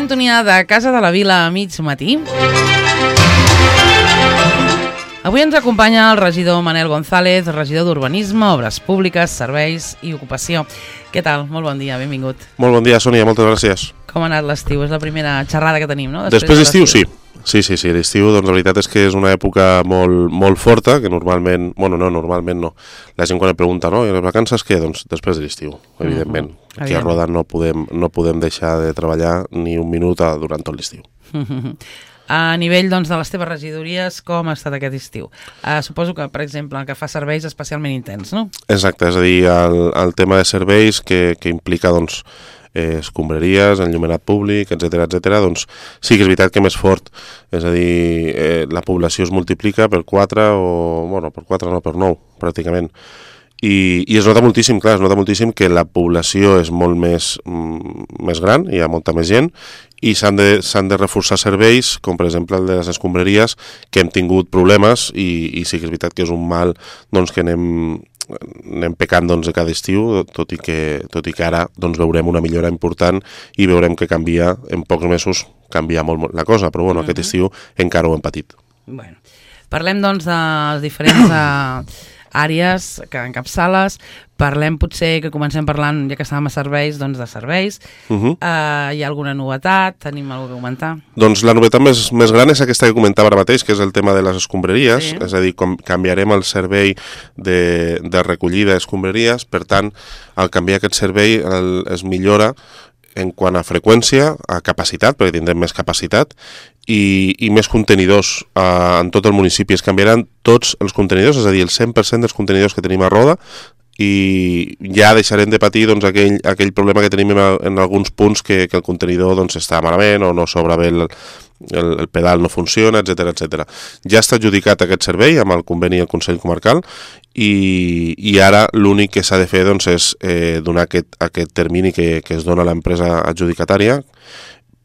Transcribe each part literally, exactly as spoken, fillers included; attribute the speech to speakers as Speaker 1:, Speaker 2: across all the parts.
Speaker 1: sintonia de Casa de la Vila a mig matí. Avui ens acompanya el regidor Manel González, regidor d'Urbanisme, Obres Públiques, Serveis i Ocupació. Què tal? Molt bon dia, benvingut.
Speaker 2: Molt bon dia, Sònia, moltes gràcies.
Speaker 1: Com ha anat l'estiu? És la primera xerrada que tenim, no?
Speaker 2: Després, Després d'estiu, sí. Sí, sí, sí, l'estiu, doncs la veritat és que és una època molt, molt forta, que normalment, bueno, no, normalment no. La gent quan et pregunta, no, i les vacances què? Doncs després de l'estiu, evidentment. Mm-hmm. Aquí a Roda no podem, no podem deixar de treballar ni un minut durant tot l'estiu.
Speaker 1: Mm-hmm. A nivell doncs, de les teves regidories, com ha estat aquest estiu? Uh, suposo que, per exemple, el que fa serveis especialment intens, no?
Speaker 2: Exacte, és a dir, el, el tema de serveis que, que implica, doncs, eh, escombraries, enllumenat públic, etcètera, etcètera, doncs sí que és veritat que més fort, és a dir, eh, la població es multiplica per quatre o, bueno, per quatre no, per nou, pràcticament. I, i es nota moltíssim, clar, es nota moltíssim que la població és molt més, mm, més gran, hi ha molta més gent, i s'han de, s'han de reforçar serveis, com per exemple el de les escombraries, que hem tingut problemes, i, i sí que és veritat que és un mal doncs, que anem, anem pecant doncs, cada estiu, tot i que, tot i que ara doncs, veurem una millora important i veurem que canvia, en pocs mesos canvia molt, molt la cosa, però bueno, uh-huh. aquest estiu encara ho hem patit.
Speaker 1: Bueno, parlem doncs de les diferents uh, àrees que encapçales. Parlem potser que comencem parlant, ja que estàvem a serveis, doncs de serveis. Uh-huh. Uh, hi ha alguna novetat? Tenim alguna cosa a comentar?
Speaker 2: Doncs la novetat més, més gran és aquesta que comentava ara mateix, que és el tema de les escombraries, sí. És a dir, com canviarem el servei de, de recollida d'escombraries, per tant, al canviar aquest servei el, es millora en quant a freqüència, a capacitat, perquè tindrem més capacitat, i, i més contenidors uh, en tot el municipi. Es canviaran tots els contenidors, és a dir, el cent per cent dels contenidors que tenim a Roda, i ja deixarem de patir doncs, aquell, aquell problema que tenim en, en alguns punts que, que el contenidor doncs, està malament o no s'obre bé el, el, el pedal no funciona, etcètera, etcètera. Ja està adjudicat aquest servei amb el conveni del Consell Comarcal i, i ara l'únic que s'ha de fer doncs, és eh, donar aquest, aquest termini que, que es dona a l'empresa adjudicatària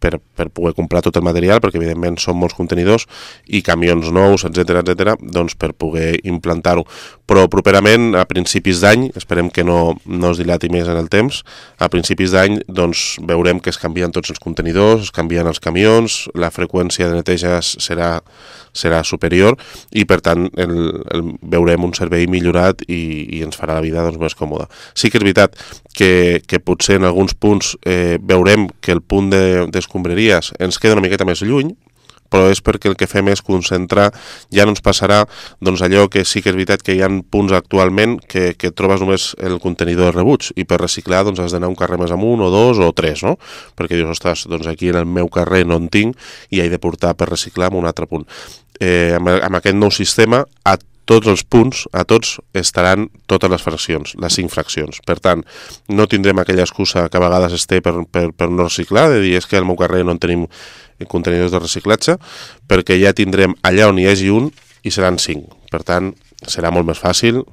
Speaker 2: Per, per poder comprar tot el material, perquè evidentment són molts contenidors i camions nous, etcètera, etcètera, doncs per poder implantar-ho. Però properament, a principis d'any, esperem que no, no es dilati més en el temps, a principis d'any doncs, veurem que es canvien tots els contenidors, es canvien els camions, la freqüència de neteja serà, serà superior i per tant el, el, veurem un servei millorat i, i ens farà la vida doncs, més còmoda. Sí que és veritat que, que potser en alguns punts eh, veurem que el punt de, de escombraries ens queda una miqueta més lluny, però és perquè el que fem és concentrar, ja no ens passarà doncs allò que sí que és veritat que hi ha punts actualment que, que trobes només el contenidor de rebuig i per reciclar doncs has d'anar un carrer més amunt o dos o tres, no? Perquè dius, ostres, doncs aquí en el meu carrer no en tinc i he de portar per reciclar en un altre punt. Eh, amb, amb aquest nou sistema, a tots els punts, a tots, estaran totes les fraccions, les cinc fraccions. Per tant, no tindrem aquella excusa que a vegades es té per, per, per no reciclar, de dir és que al meu carrer no en tenim contenidors de reciclatge, perquè ja tindrem allà on hi hagi un i seran cinc. Per tant, serà molt més fàcil,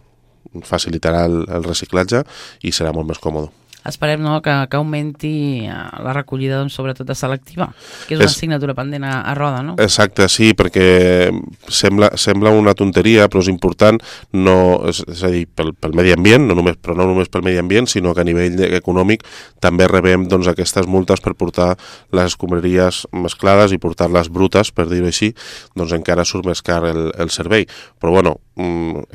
Speaker 2: facilitarà el, el reciclatge i serà molt més còmode.
Speaker 1: Esperem no, que, que augmenti la recollida, doncs, sobretot de selectiva, que és una és, assignatura pendent a, a Roda, no?
Speaker 2: Exacte, sí, perquè sembla, sembla una tonteria, però és important, no, és, és a dir, pel, pel medi ambient, no només, però no només pel medi ambient, sinó que a nivell econòmic també rebem doncs, aquestes multes per portar les escombraries mesclades i portar-les brutes, per dir-ho així, doncs encara surt més car el, el servei. Però bueno,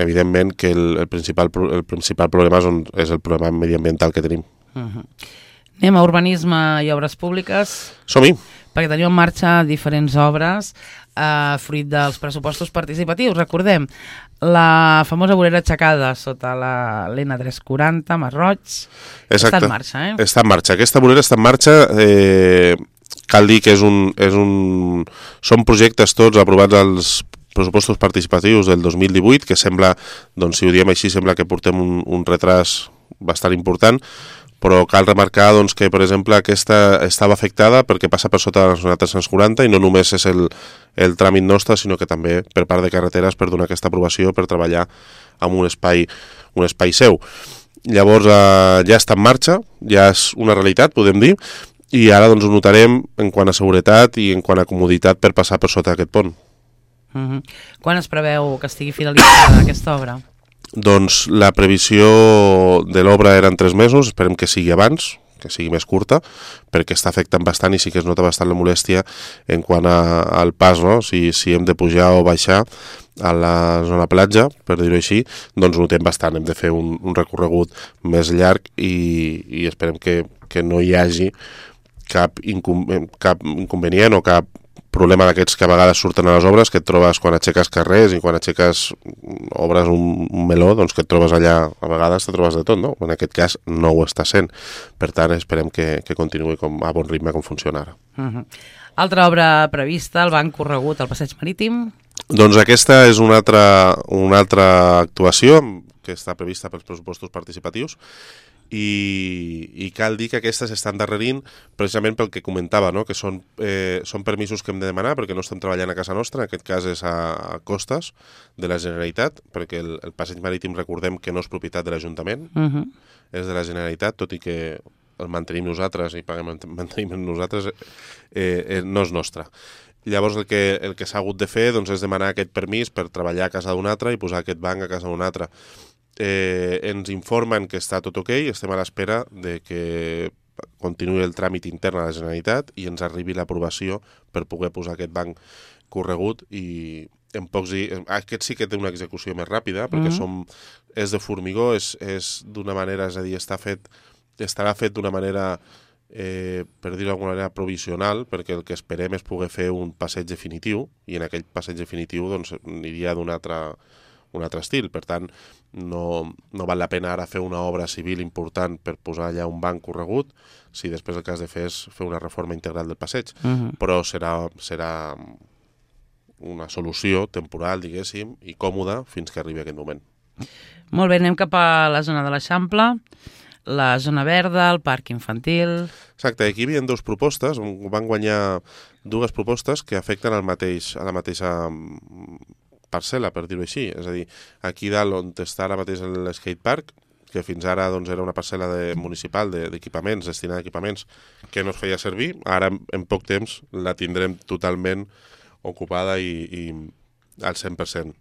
Speaker 2: evidentment que el, el, principal, el principal problema és, on, és el problema mediambiental que tenim.
Speaker 1: Uh-huh. Anem a urbanisme i obres públiques.
Speaker 2: Som-hi.
Speaker 1: Perquè tenim en marxa diferents obres eh, fruit dels pressupostos participatius. Recordem, la famosa vorera aixecada sota la l'N tres quaranta, Masroig, està en marxa, eh?
Speaker 2: Està en marxa. Aquesta vorera està en marxa. Eh, cal dir que és un, és un... són projectes tots aprovats als pressupostos participatius del dos mil divuit, que sembla, doncs si ho diem així, sembla que portem un, un retras bastant important, però cal remarcar doncs, que, per exemple, aquesta estava afectada perquè passa per sota de la zona tres-cents quaranta i no només és el, el tràmit nostre, sinó que també per part de carreteres per donar aquesta aprovació per treballar en un espai, un espai seu. Llavors eh, ja està en marxa, ja és una realitat, podem dir, i ara doncs, ho notarem en quant a seguretat i en quant a comoditat per passar per sota aquest pont.
Speaker 1: Uh-huh. Quan es preveu que estigui finalitzada aquesta obra?
Speaker 2: Doncs la previsió de l'obra eren tres mesos, esperem que sigui abans, que sigui més curta, perquè està afectant bastant i sí que es nota bastant la molèstia en quant a, al pas, no? Si, si hem de pujar o baixar a la zona platja, per dir-ho així, doncs notem bastant, hem de fer un, un recorregut més llarg i, i esperem que, que no hi hagi cap, incom cap inconvenient o cap problema d'aquests que a vegades surten a les obres, que et trobes quan aixeques carrers i quan aixeques obres un, un meló, doncs que et trobes allà, a vegades te trobes de tot, no? En aquest cas no ho està sent. Per tant, esperem que, que continuï com, a bon ritme com funciona ara.
Speaker 1: Uh -huh. Altra obra prevista, el banc corregut al Passeig Marítim.
Speaker 2: Doncs aquesta és una altra, una altra actuació que està prevista pels pressupostos participatius i, i cal dir que aquestes estan darrerint precisament pel que comentava, no? Que són, eh, són permisos que hem de demanar perquè no estem treballant a casa nostra, en aquest cas és a, a costes de la Generalitat, perquè el, el Passeig Marítim recordem que no és propietat de l'Ajuntament, uh -huh. és de la Generalitat, tot i que el mantenim nosaltres i paguem mantenim nosaltres, eh, eh, no és nostre. Llavors el que, el que s'ha hagut de fer doncs, és demanar aquest permís per treballar a casa d'un altre i posar aquest banc a casa d'un altre. Eh, ens informen que està tot ok, estem a l'espera de que continuï el tràmit intern a la Generalitat i ens arribi l'aprovació per poder posar aquest banc corregut i en pocs dies... Aquest sí que té una execució més ràpida perquè mm-hmm. som, és de formigó, és, és d'una manera, és a dir, està fet, estarà fet d'una manera... Eh, per dir-ho d'alguna manera provisional, perquè el que esperem és poder fer un passeig definitiu i en aquell passeig definitiu doncs, aniria d'un altre, un altre estil. Per tant, no, no val la pena ara fer una obra civil important per posar allà un banc corregut si després el que has de fer és fer una reforma integral del passeig. Uh-huh. Però serà, serà una solució temporal, diguéssim, i còmoda fins que arribi aquest moment.
Speaker 1: Molt bé, anem cap a la zona de l'Eixample, la zona verda, el parc infantil...
Speaker 2: Exacte, aquí hi havia dues propostes, van guanyar dues propostes que afecten al mateix, a la mateixa parcel·la, per dir-ho així. És a dir, aquí dalt on està ara mateix l'skatepark, que fins ara doncs, era una parcel·la de, municipal d'equipaments, de, destinada a equipaments, que no es feia servir, ara en poc temps la tindrem totalment ocupada i, i al cent per cent.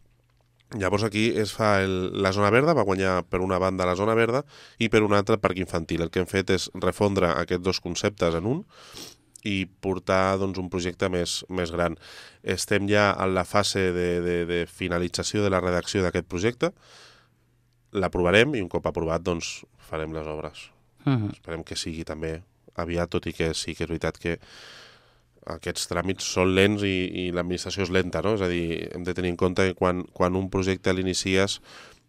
Speaker 2: Llavors aquí es fa el, la zona verda, va guanyar per una banda la zona verda i per una altra el parc infantil. El que hem fet és refondre aquests dos conceptes en un i portar doncs, un projecte més, més gran. Estem ja en la fase de, de, de finalització de la redacció d'aquest projecte, l'aprovarem i un cop aprovat doncs, farem les obres. Uh-huh. Esperem que sigui també aviat, tot i que sí que és veritat que aquests tràmits són lents i, i l'administració és lenta, no? És a dir, hem de tenir en compte que quan, quan un projecte l'inicies,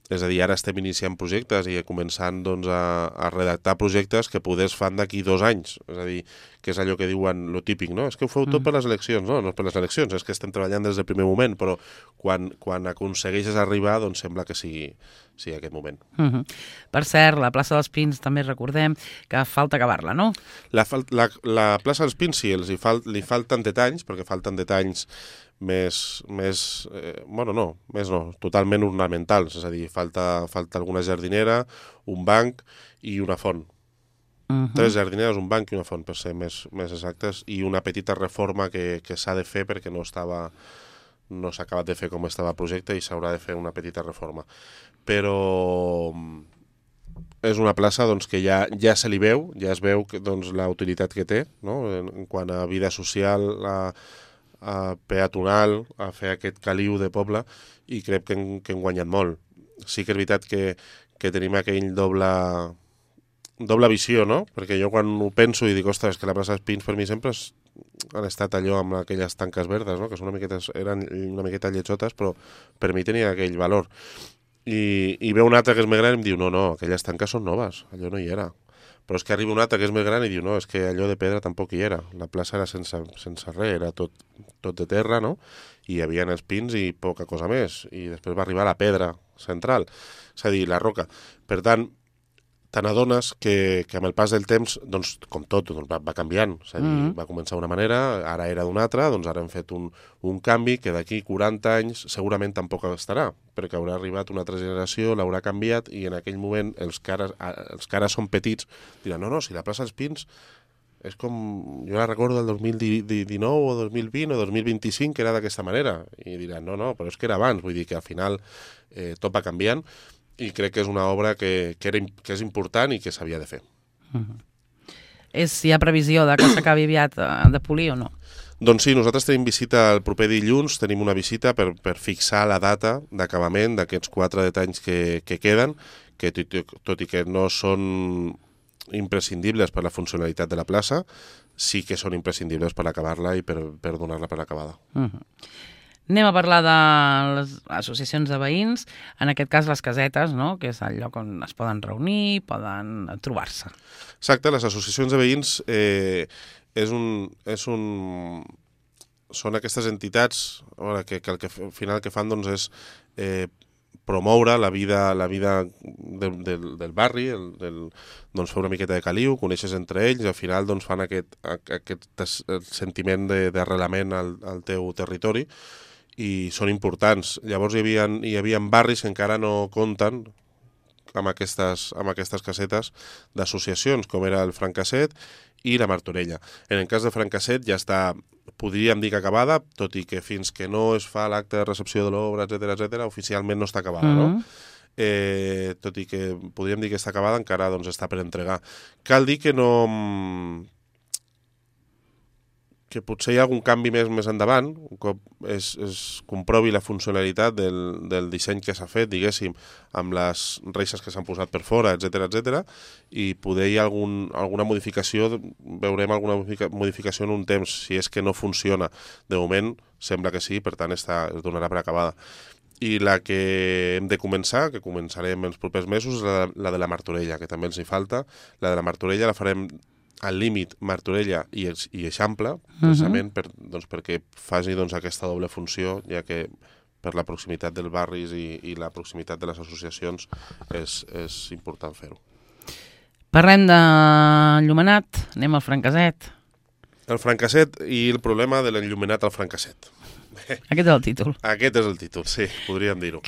Speaker 2: és a dir, ara estem iniciant projectes i començant doncs, a, a redactar projectes que poder es fan d'aquí dos anys. És a dir, que és allò que diuen, lo típic, no? És que ho feu tot per les eleccions. No, no és per les eleccions, és que estem treballant des del primer moment, però quan, quan aconsegueixes arribar, doncs sembla que sigui, sigui aquest moment.
Speaker 1: Uh -huh. Per cert, la plaça dels Pins també recordem que falta acabar-la, no?
Speaker 2: La, la, la plaça dels Pins sí, els hi fal, li falten detalls, perquè falten detalls més, més eh, bueno, no, més no, totalment ornamentals, és a dir, falta, falta alguna jardinera, un banc i una font. Uh-huh. Tres jardineres, un banc i una font, per ser més, més exactes, i una petita reforma que, que s'ha de fer perquè no estava no s'ha acabat de fer com estava el projecte i s'haurà de fer una petita reforma. Però és una plaça doncs, que ja, ja se li veu, ja es veu que, doncs, la utilitat que té, no? en, en quant a vida social, a, a peatonal, a fer aquest caliu de poble, i crec que hem, que hem guanyat molt. Sí que és veritat que, que tenim aquell doble... doble visió, no? Perquè jo quan ho penso i dic, ostres, que la plaça dels Pins per mi sempre és, han estat allò amb aquelles tanques verdes, no? Que són una miqueta, eren una miqueta lletjotes, però per mi tenia aquell valor. I, i ve un altre que és més gran i em diu, no, no, aquelles tanques són noves, allò no hi era. Però és que arriba un altre que és més gran i diu, no, és que allò de pedra tampoc hi era. La plaça era sense, sense res, era tot, tot de terra, no? I hi havia els pins i poca cosa més. I després va arribar la pedra central, és a dir, la roca. Per tant, te n'adones que, que amb el pas del temps, doncs, com tot, doncs, va, va canviant. És a dir, mm-hmm. va començar d'una manera, ara era d'una altra, doncs ara hem fet un, un canvi que d'aquí quaranta anys segurament tampoc estarà, perquè haurà arribat una altra generació, l'haurà canviat, i en aquell moment els que ara, els que ara són petits diran, no, no, si la plaça dels Pins és com, jo la recordo del dos mil dinou o dos mil vint o dos mil vint-i-cinc, que era d'aquesta manera. I diran, no, no, però és que era abans, vull dir que al final eh, tot va canviant, i crec que és una obra que, que, era, que és important i que s'havia de fer.
Speaker 1: Uh-huh. és si hi ha previsió de que s'acabi aviat de polir o no.
Speaker 2: Doncs sí, nosaltres tenim visita el proper dilluns, tenim una visita per, per fixar la data d'acabament d'aquests quatre detalls que, que queden, que tot, tot i que no són imprescindibles per la funcionalitat de la plaça, sí que són imprescindibles per acabar-la i per, per donar-la per acabada.
Speaker 1: Uh-huh. Anem a parlar de les associacions de veïns, en aquest cas les casetes, no? Que és el lloc on es poden reunir, poden trobar-se.
Speaker 2: Exacte, les associacions de veïns eh, és un, és un, són aquestes entitats que, que, que al final que fan doncs, és eh, promoure la vida, la vida del, del, del barri, el, del, doncs fer una miqueta de caliu, coneixes entre ells i al final doncs, fan aquest, aquest sentiment d'arrelament al, al teu territori i són importants. Llavors hi havia, hi havia barris que encara no compten amb aquestes, amb aquestes casetes d'associacions, com era el Francasset i la Martorella. En el cas de Francasset ja està, podríem dir que acabada, tot i que fins que no es fa l'acte de recepció de l'obra, etcètera, etcètera, oficialment no està acabada, mm-hmm. no? Eh, tot i que podríem dir que està acabada, encara doncs, està per entregar. Cal dir que no... que potser hi ha algun canvi més més endavant, un cop es, es comprovi la funcionalitat del, del disseny que s'ha fet, diguéssim, amb les reixes que s'han posat per fora, etcètera, etcètera, i poder hi ha algun, alguna modificació, veurem alguna modificació en un temps, si és que no funciona. De moment sembla que sí, per tant està, es donarà per acabada. I la que hem de començar, que començarem els propers mesos, és la, la de la Martorella, que també els hi falta. La de la Martorella la farem al límit Martorella i, i Eixample, precisament uh-huh. per, doncs, perquè faci doncs, aquesta doble funció, ja que per la proximitat dels barris i, i la proximitat de les associacions és, és important fer-ho.
Speaker 1: Parlem d'enllumenat, anem al Francasset.
Speaker 2: El Francasset i el problema de l'enllumenat al Francasset.
Speaker 1: Aquest és el títol.
Speaker 2: Aquest és el títol, sí, podríem dir-ho.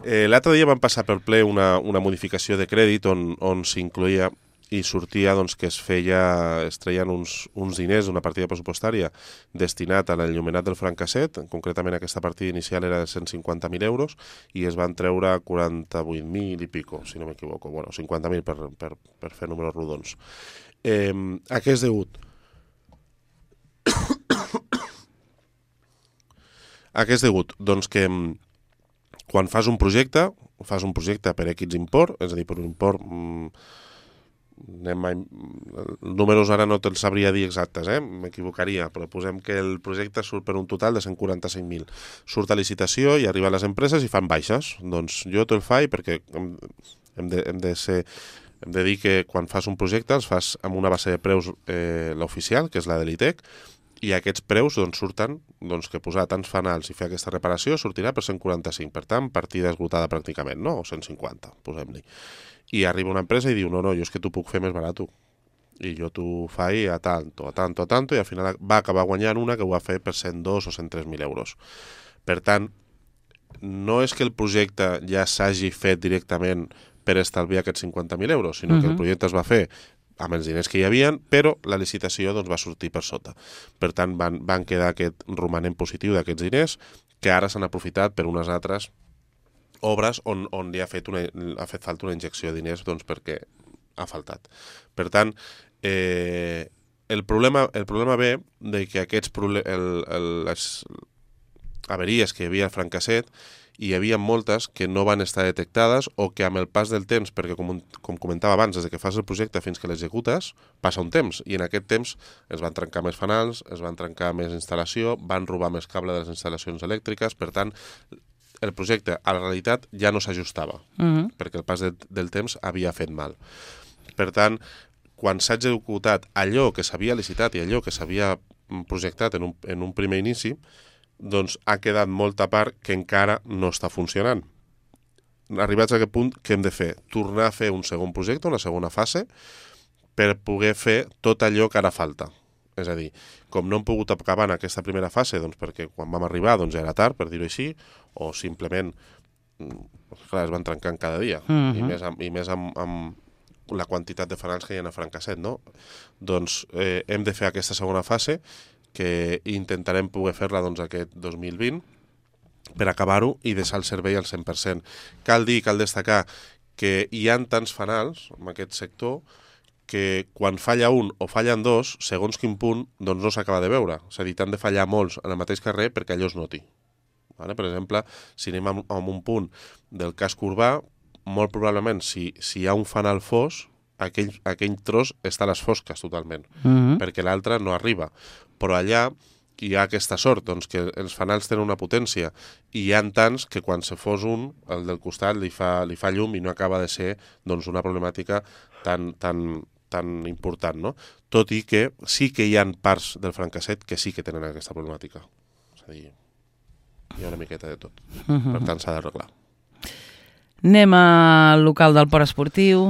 Speaker 2: Eh, L'altre dia vam passar per ple una, una modificació de crèdit on, on s'incloïa i sortia doncs, que es feia, es treien uns, uns diners d'una partida pressupostària destinat a l'enllumenat del Francasset, concretament aquesta partida inicial era de cent cinquanta mil euros i es van treure quaranta-vuit mil i pico, si no m'equivoco, bueno, cinquanta mil per, per, per fer números rodons. Eh, a què és degut? A què és degut? Doncs que quan fas un projecte, fas un projecte per X import, és a dir, per un import... Mm, anem a... números ara no te'ls sabria dir exactes, eh? M'equivocaria, però posem que el projecte surt per un total de cent quaranta-cinc mil. Surt a licitació i arriba a les empreses i fan baixes. Doncs jo te'l faig perquè hem, hem, de, hem, de ser, hem de dir que quan fas un projecte els fas amb una base de preus eh, l'oficial, que és la de l'I T E C, i aquests preus doncs, surten doncs, que posar tants fanals i fer aquesta reparació sortirà per cent quaranta-cinc, per tant, partida esgotada pràcticament, no? O cent cinquanta, posem-li. I arriba una empresa i diu, no, no, jo és que t'ho puc fer més barat. I jo t'ho faig a tanto, a tanto, a tanto, i al final va acabar guanyant una que ho va fer per cent dos o cent tres mil euros. Per tant, no és que el projecte ja s'hagi fet directament per estalviar aquests cinquanta mil euros, sinó uh-huh. que el projecte es va fer amb els diners que hi havia, però la licitació doncs, va sortir per sota. Per tant, van, van quedar aquest romanent positiu d'aquests diners que ara s'han aprofitat per unes altres obres on, on li ha fet, una, ha fet falta una injecció de diners doncs, perquè ha faltat. Per tant, eh, el, problema, el problema ve de que aquests proble- el, el, les averies que hi havia al Francasset hi havia moltes que no van estar detectades o que amb el pas del temps, perquè com, com comentava abans, des que fas el projecte fins que l'executes, passa un temps, i en aquest temps es van trencar més fanals, es van trencar més instal·lació, van robar més cable de les instal·lacions elèctriques, per tant, el projecte a la realitat ja no s'ajustava, uh-huh. perquè el pas de, del temps havia fet mal. Per tant, quan s'ha executat allò que s'havia licitat i allò que s'havia projectat en un, en un primer inici, doncs ha quedat molta part que encara no està funcionant. Arribats a aquest punt, què hem de fer? Tornar a fer un segon projecte, una segona fase, per poder fer tot allò que ara falta. És a dir, com no hem pogut acabar en aquesta primera fase, doncs perquè quan vam arribar doncs era tard, per dir-ho així, o simplement, clar, es van trencant cada dia, uh-huh. i més, amb, i més amb, amb la quantitat de fanals que hi ha a Francasset, no? Doncs eh, hem de fer aquesta segona fase, que intentarem poder fer-la doncs, aquest dos mil vint per acabar-ho i deixar el servei al cent per cent. Cal dir, cal destacar que hi ha tants fanals en aquest sector que quan falla un o fallen dos, segons quin punt, doncs no s'acaba de veure. És a dir, t'han de fallar molts en el mateix carrer perquè allò es noti. Vale? Per exemple, si anem a, a un punt del casc urbà, molt probablement, si, si hi ha un fanal fos, aquell, aquell tros està a les fosques totalment,
Speaker 1: Mm-hmm.
Speaker 2: perquè l'altre no arriba. Però allà hi ha aquesta sort, doncs, que els fanals tenen una potència i hi ha tants que quan se fos un, el del costat li fa, li fa llum i no acaba de ser doncs, una problemàtica tan, tan, tan important, no? Tot i que sí que hi ha parts del francasset que sí que tenen aquesta problemàtica. És a dir, hi ha una miqueta de tot.
Speaker 1: Mm-hmm.
Speaker 2: Per tant, s'ha d'arreglar.
Speaker 1: Anem al local del port esportiu.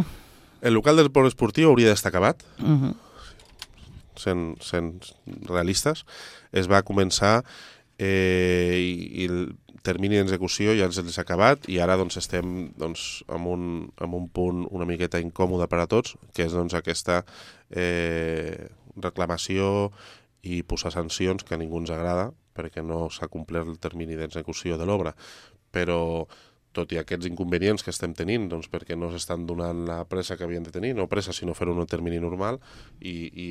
Speaker 2: El local del port esportiu hauria d'estar acabat,
Speaker 1: Mm-hmm.
Speaker 2: sent, sent realistes. Es va començar eh, i, i el termini d'execució ja els ha acabat i ara doncs, estem doncs, en, un, en un punt una miqueta incòmode per a tots, que és doncs, aquesta eh, reclamació i posar sancions que a ningú ens agrada perquè no s'ha complert el termini d'execució de l'obra. Però tot i aquests inconvenients que estem tenint, doncs perquè no s'estan donant la pressa que havien de tenir, no pressa, sinó fer-ho en un termini normal i, i,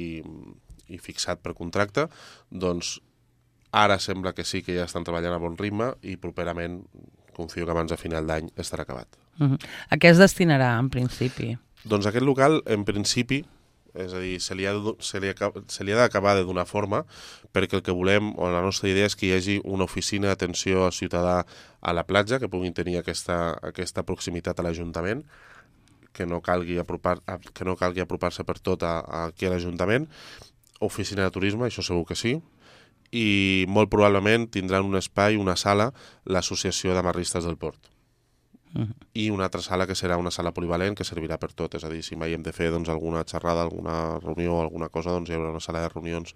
Speaker 2: i fixat per contracte, doncs ara sembla que sí que ja estan treballant a bon ritme i properament, confio que abans de final d'any estarà acabat.
Speaker 1: Mm-hmm. A què es destinarà, en principi?
Speaker 2: Doncs aquest local, en principi, és a dir, se li ha, se li ha, se li ha d'acabar de donar forma perquè el que volem, o la nostra idea és que hi hagi una oficina d'atenció al ciutadà a la platja, que puguin tenir aquesta, aquesta proximitat a l'Ajuntament, que no calgui apropar, que no calgui apropar-se per tot a, a aquí a l'Ajuntament, oficina de turisme, això segur que sí, i molt probablement tindran un espai, una sala, l'Associació d'Amarristes del Port.
Speaker 1: Mm-hmm.
Speaker 2: I una altra sala que serà una sala polivalent que servirà per tot, és a dir, si mai hem de fer doncs, alguna xerrada, alguna reunió o alguna cosa, doncs hi haurà una sala de reunions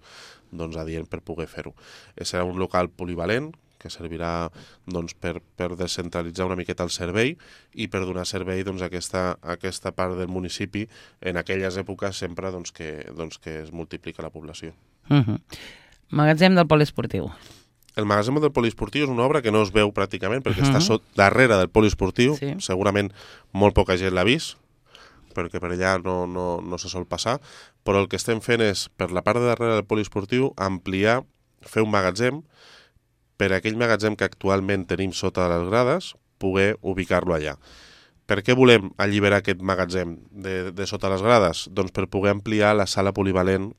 Speaker 2: doncs, adient per poder fer-ho. Serà un local polivalent que servirà doncs, per, per descentralitzar una miqueta el servei i per donar servei doncs, a, aquesta, a aquesta part del municipi en aquelles èpoques sempre doncs, que, doncs, que es multiplica la població.
Speaker 1: Mm-hmm. Magatzem del poliesportiu.
Speaker 2: El magatzem del poliesportiu és una obra que no es veu pràcticament perquè
Speaker 1: Uh-huh.
Speaker 2: està sot, darrere del poliesportiu,
Speaker 1: Sí.
Speaker 2: segurament molt poca gent l'ha vist, perquè per allà no, no, no se sol passar, però el que estem fent és, per la part de darrere del poliesportiu, ampliar, fer un magatzem, per aquell magatzem que actualment tenim sota les grades, poder ubicar-lo allà. Per què volem alliberar aquest magatzem de, de sota les grades? Doncs per poder ampliar la sala polivalent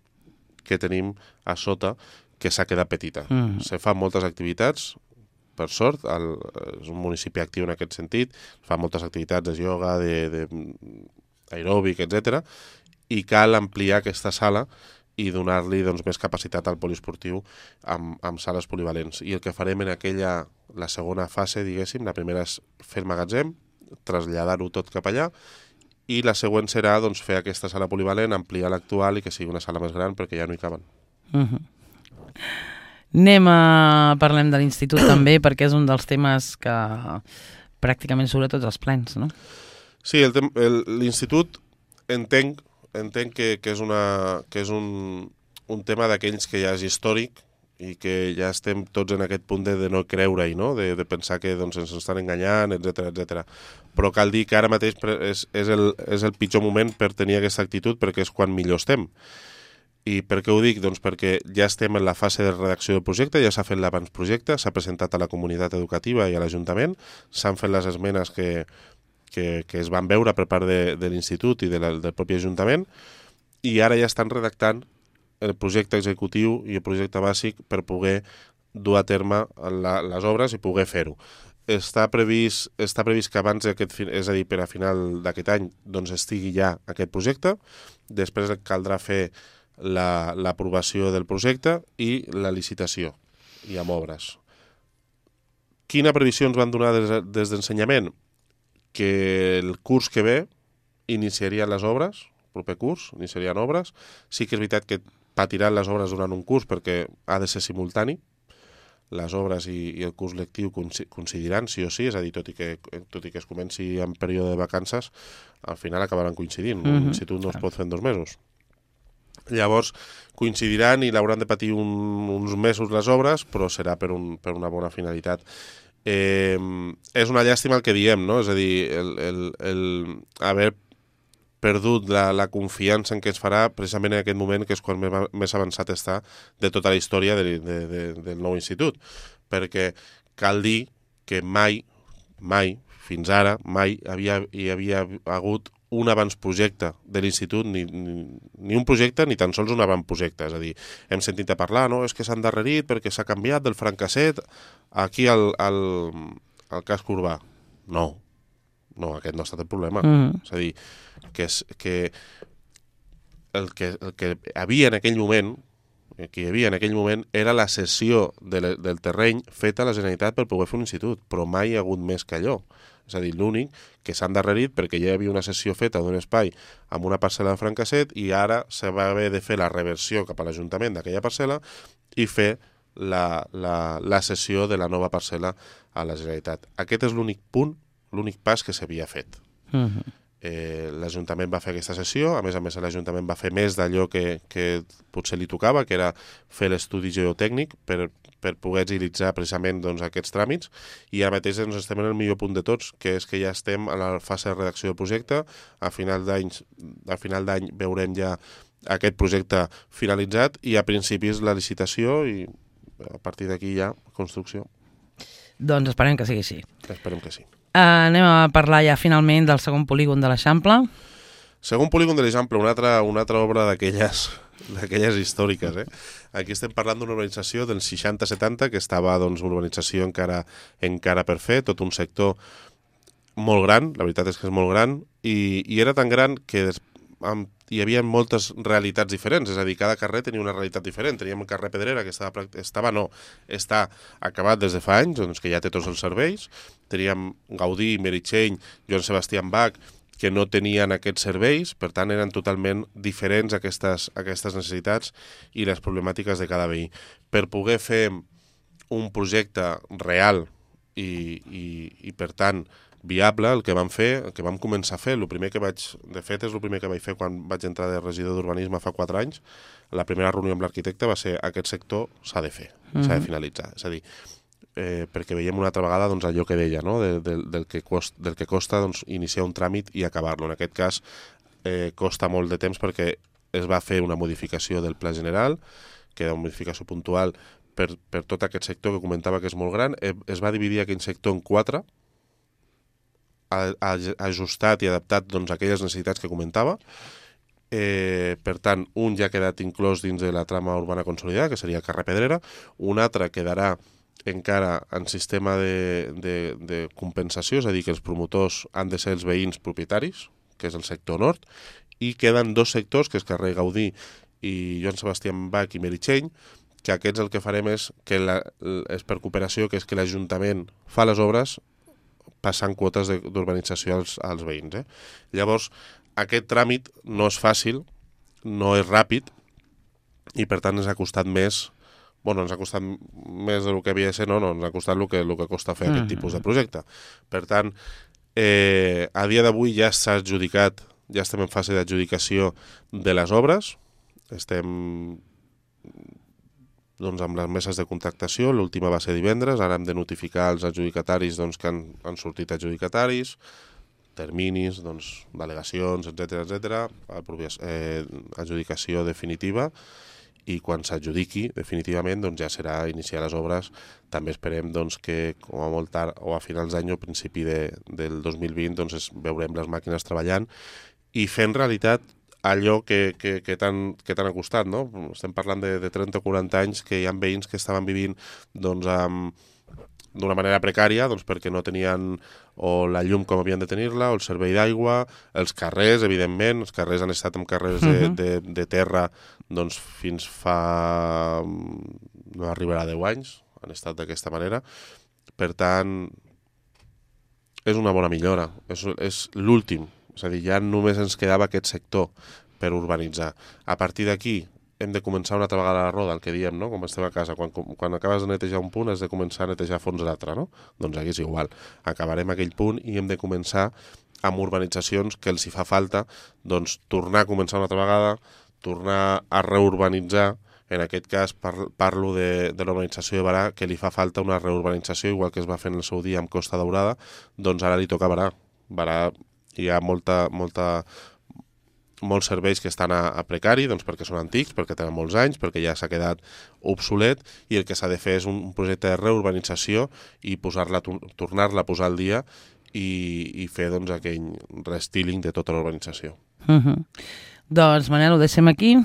Speaker 2: que tenim a sota, que s'ha quedat petita.
Speaker 1: Mm.
Speaker 2: Se fan moltes activitats, per sort, el, és un municipi actiu en aquest sentit, fa moltes activitats de ioga, de, de aeròbic, etcètera, i cal ampliar aquesta sala i donar-li doncs, més capacitat al poliesportiu amb, amb sales polivalents. I el que farem en aquella, la segona fase, diguéssim, la primera és fer el magatzem, traslladar-ho tot cap allà, i la següent serà doncs, fer aquesta sala polivalent, ampliar l'actual i que sigui una sala més gran perquè ja no hi caben.
Speaker 1: Mm-hmm. Anem a... Parlem de l'institut també, perquè és un dels temes que pràcticament surt a tots els plens, no?
Speaker 2: Sí, el tem- el- l'institut entenc, entenc que, que és, una, que és un, un tema d'aquells que ja és històric i que ja estem tots en aquest punt de, de no creure-hi, no? de, de pensar que doncs, ens estan enganyant, etcètera etcètera. Però cal dir que ara mateix pre- és, és, el, és el pitjor moment per tenir aquesta actitud perquè és quan millor estem. I per què ho dic? Doncs perquè ja estem en la fase de redacció del projecte, ja s'ha fet l'abans-projecte, s'ha presentat a la comunitat educativa i a l'Ajuntament, s'han fet les esmenes que, que, que es van veure per part de, de l'institut i de la, del propi Ajuntament, i ara ja estan redactant el projecte executiu i el projecte bàsic per poder dur a terme la, les obres i poder fer-ho. Està previst, està previst que abans d'aquest, és a dir, per a final d'aquest any, doncs estigui ja aquest projecte, després caldrà fer la, l'aprovació del projecte i la licitació, i amb obres. Quina previsió ens van donar des, des d'ensenyament? Que el curs que ve iniciarien les obres, proper curs, iniciarien obres. Sí que és veritat que patiran les obres durant un curs perquè ha de ser simultani, les obres i, i el curs lectiu coincidiran, sí o sí, és a dir, tot i que, tot i que es comenci en període de vacances, al final acabaran coincidint. Mm-hmm. L'institut no es pot fer en dos mesos. Llavors coincidiran i l'hauran de patir un, uns mesos les obres, però serà per, un, per una bona finalitat. Eh, és una llàstima el que diem, no? És a dir, el, el, el haver perdut la, la confiança en què es farà precisament en aquest moment, que és quan més, més avançat està de tota la història de, de, de, del nou institut. Perquè cal dir que mai, mai, fins ara, mai havia, hi havia hagut un avantprojecte de l'institut, ni, ni, ni un projecte ni tan sols un avantprojecte. És a dir, hem sentit a parlar, no? És que s'ha endarrerit perquè s'ha canviat del francasset aquí al, al, al casc urbà. No, no, aquest no ha estat el problema. Mm. És a dir, que, és, que, el que el que havia en aquell moment, que hi havia en aquell moment era la cessió de le, del terreny feta a la Generalitat per poder fer un institut, però mai hi ha hagut més que allò. És a dir, l'únic que s'ha endarrerit perquè ja hi havia una cessió feta d'un espai amb una parcel·la de francasset i ara se va haver de fer la reversió cap a l'Ajuntament d'aquella parcel·la i fer la, la, la cessió de la nova parcel·la a la Generalitat. Aquest és l'únic punt, l'únic pas que s'havia fet. Mm-hmm. Eh, l'Ajuntament va fer aquesta sessió, a més a més l'Ajuntament va fer més d'allò que, que potser li tocava, que era fer l'estudi geotècnic per, per poder agilitzar precisament doncs, aquests tràmits, i ara mateix doncs, estem en el millor punt de tots, que és que ja estem en la fase de redacció del projecte. A final d'any a final d'any veurem ja aquest projecte finalitzat i a principis la licitació i a partir d'aquí ja construcció.
Speaker 1: Doncs esperem que sigui així.
Speaker 2: Esperem que sí.
Speaker 1: Uh, anem a parlar ja finalment del segon polígon de l'Eixample.
Speaker 2: Segon polígon de l'Eixample, una altra, una altra obra d'aquelles d'aquelles històriques. Eh? Aquí estem parlant d'una urbanització dels seixanta setanta, que estava doncs, una urbanització encara, encara per fer, tot un sector molt gran, la veritat és que és molt gran, i, i era tan gran que des, amb, hi havia moltes realitats diferents, és a dir, cada carrer tenia una realitat diferent. Teníem el carrer Pedrera, que estava, estava no, està acabat des de fa anys, doncs que ja té tots els serveis. Teníem Gaudí, Meritxell, Joan Sebastián Bach, que no tenien aquests serveis, per tant eren totalment diferents aquestes, aquestes necessitats i les problemàtiques de cada veí. Per poder fer un projecte real i, i, i per tant, viable, el que vam fer, el que vam començar a fer, el primer que vaig, de fet és el primer que vaig fer quan vaig entrar de regidor d'urbanisme fa quatre anys, la primera reunió amb l'arquitecte va ser aquest sector s'ha de fer, mm-hmm. s'ha de finalitzar, és a dir, eh, perquè veiem una altra vegada doncs, allò que deia, no? de, de, del, que cost, del que costa doncs, iniciar un tràmit i acabar-lo. En aquest cas eh, costa molt de temps perquè es va fer una modificació del pla general, que era una modificació puntual per, per tot aquest sector que comentava que és molt gran, eh, es va dividir aquell sector en quatre, ajustat i adaptat doncs, a aquelles necessitats que comentava. Eh, per tant, un ja ha quedat inclòs dins de la trama urbana consolidada, que seria el carrer Pedrera, un altre quedarà encara en sistema de, de, de compensació, és a dir, que els promotors han de ser els veïns propietaris, que és el sector nord, i queden dos sectors, que és carrer Gaudí i Joan Sebastián Bach i Meritxell, que aquests el que farem és, que la, és per cooperació, que és que l'Ajuntament fa les obres passant quotes d'urbanització als, als veïns. Eh? Llavors, aquest tràmit no és fàcil, no és ràpid, i per tant ens ha costat més, bueno, ens ha costat més del que havia de ser, no, no, ens ha costat el que, el que costa fer mm. aquest tipus de projecte. Per tant, eh, a dia d'avui ja s'ha adjudicat, ja estem en fase d'adjudicació de les obres, estem doncs, amb les meses de contractació, l'última va ser divendres, ara hem de notificar els adjudicataris doncs, que han, han sortit adjudicataris, terminis, doncs, delegacions, etcètera, etcètera, eh, adjudicació definitiva, i quan s'adjudiqui definitivament doncs, ja serà iniciar les obres. També esperem doncs, que com a molt tard o a finals d'any o principi de, del dos mil vint doncs, es, veurem les màquines treballant i fent realitat allò que, que, que tant que tant ha costat, no? Estem parlant de, de trenta o quaranta anys que hi ha veïns que estaven vivint doncs, amb, d'una manera precària, doncs, perquè no tenien o la llum com havien de tenir-la, o el servei d'aigua, els carrers, evidentment, els carrers han estat en carrers de, uh-huh. de, de terra doncs, fins fa... no arribarà a deu anys, han estat d'aquesta manera. Per tant, és una bona millora, és, és l'últim. És a dir, ja només ens quedava aquest sector per urbanitzar. A partir d'aquí hem de començar una altra vegada la roda, el que diem, no? Com estem a casa. Quan, quan acabes de netejar un punt has de començar a netejar a fons l'altre, no? Doncs aquí és igual. Acabarem aquell punt i hem de començar amb urbanitzacions que els hi fa falta, doncs tornar a començar una altra vegada, tornar a reurbanitzar. En aquest cas parlo de, de l'urbanització de Barà, que li fa falta una reurbanització, igual que es va fer en el seu dia amb Costa Daurada, doncs ara li toca Barà. Barà hi ha molta, molta, molts serveis que estan a, a precari, doncs perquè són antics, perquè tenen molts anys, perquè ja s'ha quedat obsolet, i el que s'ha de fer és un projecte de reurbanització i posar-la, tornar-la a posar al dia i, i fer doncs, aquell restyling de tota l'urbanització.
Speaker 1: Uh-huh. Doncs, Manel, ho deixem aquí.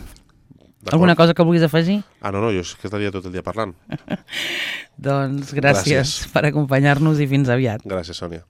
Speaker 1: Alguna cosa que vulguis afegir?
Speaker 2: Ah, no, no, jo és que estaria tot el dia parlant.
Speaker 1: Doncs gràcies, gràcies per acompanyar-nos i fins aviat.
Speaker 2: Gràcies, Sònia.